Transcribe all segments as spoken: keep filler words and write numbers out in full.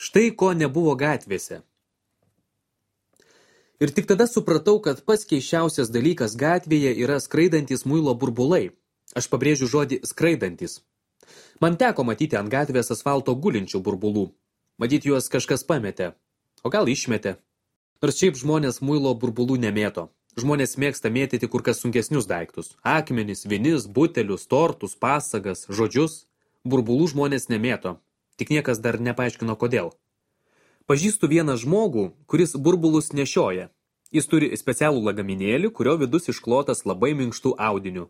Štai ko nebuvo gatvėse. Ir tik tada supratau, kad pats keisčiausias dalykas gatvėje yra skraidantis muilo burbulai. Aš pabrėžiu žodį skraidantis. Man teko matyti ant gatvės asfalto gulinčių burbulų. Matyt, juos kažkas pametė. O gal išmetė. Nors šiaip žmonės muilo burbulų nemėto. Žmonės mėgsta mėtyti kur kas sunkesnius daiktus. Akmenis, vinis, butelius, tortus, pasagas, žodžius. Burbulų žmonės nemėto. Tik niekas dar nepaaiškino kodėl. Pažįstu vieną žmogų, kuris burbulus nešioja. Jis turi specialų lagaminėlį, kurio vidus išklotas labai minkštų audinių.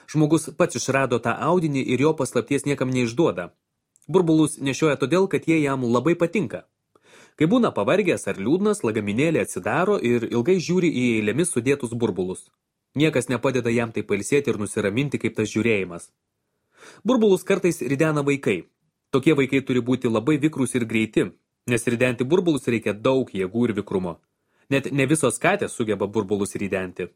Žmogus pats išrado tą audinį ir jo paslapties niekam neišduoda. Burbulus nešioja todėl, kad jie jam labai patinka. Kai būna pavargęs ar liūdnas, lagaminėlį atsidaro ir ilgai žiūri į eilėmis sudėtus burbulus. Niekas nepadeda jam tai pailsėti ir nusiraminti kaip tas žiūrėjimas. Burbulus kartais ridena vaikai. Tokie vaikai turi būti labai vikrūs ir greiti, nes ridenti burbulus reikia daug jėgų ir vikrumo. Net ne visos katės sugeba burbulus ridenti.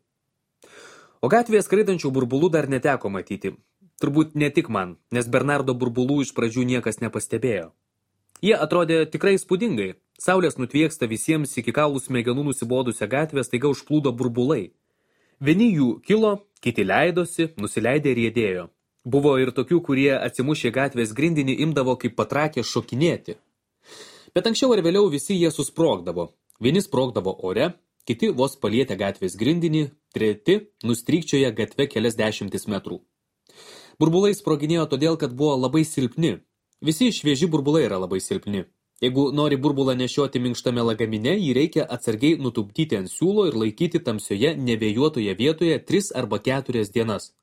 O gatvėje skraidančių burbulų dar neteko matyti. Turbūt ne tik man, nes Bernardo burbulų iš pradžių niekas nepastebėjo. Jie atrodė tikrai įspūdingai. Saulės nutvieksta visiems iki kaulų smegenų nusibodusią gatvę staiga užplūdo burbulai. Vieni jų kilo, kiti leidosi, nusileidė ir riedėjo. Buvo ir tokių, kurie atsimušę gatvės grindinį imdavo kaip patrakė šokinėti. Bet anksčiau ar vėliau visi jie susprogdavo. Vieni sprogdavo ore, kiti vos palietė gatvės grindinį, treti nustrykčioja gatve kelias dešimtis metrų. Burbulai sproginėjo todėl, kad buvo labai silpni. Visi švieži burbulai yra labai silpni. Jeigu nori burbulą nešioti minkštame lagamine, jį reikia atsargiai nutupdyti ant siūlo ir laikyti tamsioje, nevėjuotoje vietoje tris arba keturias dienas.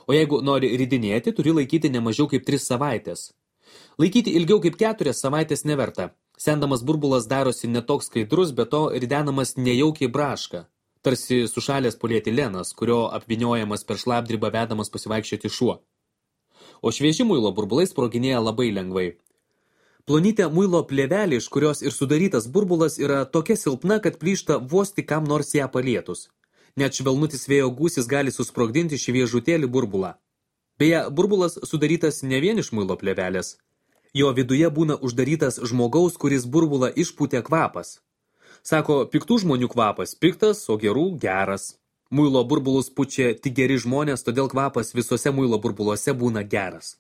O jeigu nori ridinėti, turi laikyti ne mažiau kaip tris savaitės. Laikyti ilgiau kaip keturias savaitės neverta. Sendamas burbulas darosi netoks skaidrus, bet to ridenamas nejaukiai braška. Tarsi sušalęs polietilenas, kurio apvyniojamas per šlapdribą vedamas pasivaikščioti šuo. O švieži muilo burbulai sproginėja labai lengvai. Plonytė muilo plėvelė, iš kurios ir sudarytas burbulas, yra tokia silpna, kad plyšta vos tik kam nors ją palietus. Net švelnutis vėjo gūsis gali susprogdinti šviežutėlį burbulą. Beje, burbulas sudarytas ne vien iš muilo plėvelės. Jo viduje būna uždarytas žmogaus, kuris burbulą išpūtė kvapas. Sako, piktų žmonių kvapas piktas, o gerų geras. Muilo burbulus pučia tik geri žmonės, todėl kvapas visose muilo burbuluose būna geras.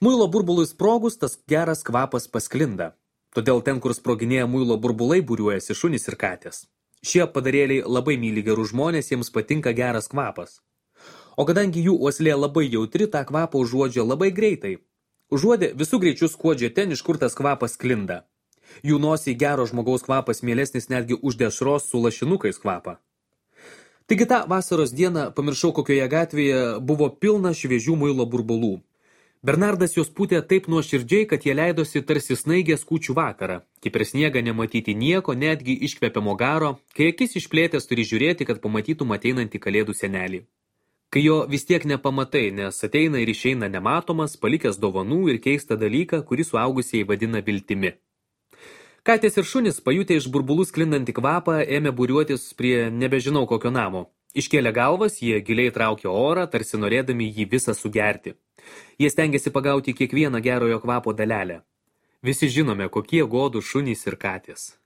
Muilo burbului sprogus, tas geras kvapas pasklinda. Todėl ten, kur sproginėja muilo burbulai, būriuojasi šunys ir katės. Šie padarėliai labai myli gerų žmonės, jiems patinka geras kvapas. O kadangi jų uoslė labai jautri, tą kvapą užuodžia labai greitai. Užuodė visų greičių skuodžia ten, iš kur tas kvapas sklinda. Jų nosiai gero žmogaus kvapas mielesnis netgi už dešros su lašinukais kvapą. Taigi tą vasaros dieną, pamiršau kokioje gatvėje, buvo pilna šviežių muilo burbulų. Bernardas jos pūtė taip nuoširdžiai, kad jie leidosi tarsi snaigės kūčių vakarą. Kaip per sniegą nematyti nieko, netgi iškvepiamo garo, kai akis išplėtęs turi žiūrėti, kad pamatytum ateinantį kalėdų senelį. Kai jo vis tiek nepamatai, nes ateina ir išeina nematomas, palikęs dovanų ir keistą dalyką, kurį suaugusieji vadina viltimi. Katės ir šunys, pajutę iš burbulų sklindantį kvapą, ėmė būriuotis prie nebežinau kokio namo. Iškėlė galvas, jie giliai traukė orą, tarsi norėdami jį visą sugerti. Jie stengiasi pagauti kiekvieną gerojo kvapo dalelę. Visi žinome, kokie godų šunys ir katės.